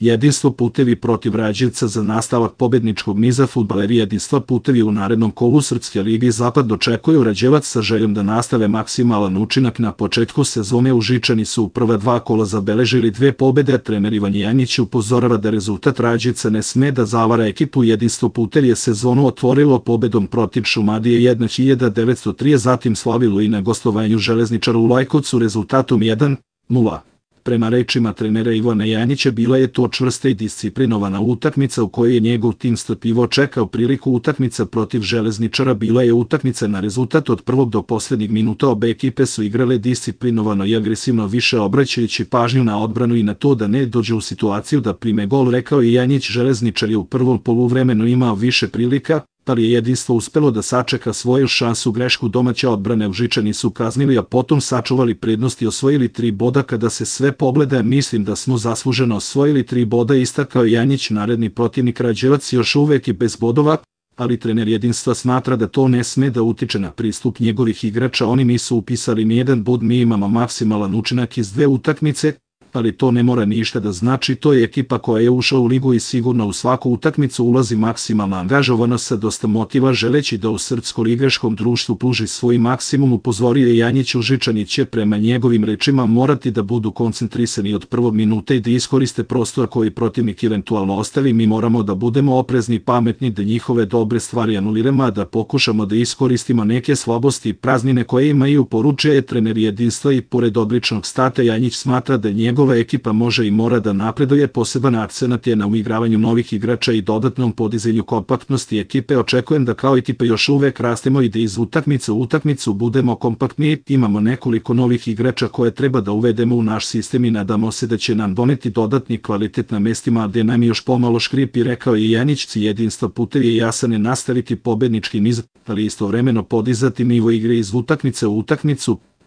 Jedinstvo putevi protiv Rađevca za nastavak pobedničkog niza. Fudbaleri Jedinstva putevi u narednom kolu Srpske lige Zapad dočekuju Rađevac sa željom da nastave maksimalan učinak na početku sezone. Užičani su u prva dva kola zabeležili 2 pobede. Trener Ivan Janjić upozorava da rezultat Rađevca ne sme da zavara ekipu. Jedinstvo putevi je sezonu otvorilo pobedom protiv Šumadije 1903, zatim slavilo i na gostovanju Železničara u Lajkovcu rezultatom 1:0. Prema rečima trenera Ivana Janjića, bila je to čvrsta i disciplinovana utakmica u kojoj je njegov tim strpljivo čekao priliku. Utakmica protiv Železničara bila je utakmica na rezultat od prvog do poslednjeg minuta. Obe ekipe su igrale disciplinovano i agresivno, više obraćajući pažnju na odbranu i na to da ne dođe u situaciju da prime gol, rekao je Janjić. Železničar je u prvom poluvremenu imao više prilika, ali je Jedinstvo uspelo da sačeka svoju šansu. Grešku domaće odbrane Užičani su kaznili, a potom sačuvali prednost i osvojili 3 boda. Kada se sve pogleda, mislim da smo zasluženo osvojili 3 boda, istakao Janjić. Naredni protivnik Rađevac još uvek je bez bodova, ali trener Jedinstva smatra da to ne sme da utiče na pristup njegovih igrača. Oni nisu upisali nijedan bod, mi imamo maksimalan učinak iz 2 utakmice, ali to ne mora ništa da znači. To je ekipa koja je ušla u ligu i sigurno u svaku utakmicu ulazi maksimalna angažovanost sa dosta motiva, želeći da u srpsko-ligaškom društvu pruži svoj maksimum, upozorio je Janjić. Užičani će prema njegovim rečima morati da budu koncentrisani od prvog minuta i da iskoriste prostor koji protivnik eventualno ostavi. Mi moramo da budemo oprezni, pametni, da njihove dobre stvari anuliramo, a da pokušamo da iskoristimo neke slabosti i praznine koje imaju, poručio je trener Jedinstva. I pored odličnog starta, Janjić smatra da njegova ekipa može i mora da napreduje. Poseban akcenat je na uigravanju novih igrača i dodatnom podizanju kompaktnosti ekipe. Očekujem da kao ekipa još uvek rastemo i da iz utakmice u utakmicu budemo kompaktni. Imamo nekoliko novih igrača koje treba da uvedemo u naš sistem i nadamo se da će nam doneti dodatni kvalitet na mestima gde nam još pomalo škripi, rekao je Janjić. Cilj Jedinstva putevi je jasan, je nastaviti pobednički niz, ali istovremeno podizati nivo igre iz utakmice u utakmicu.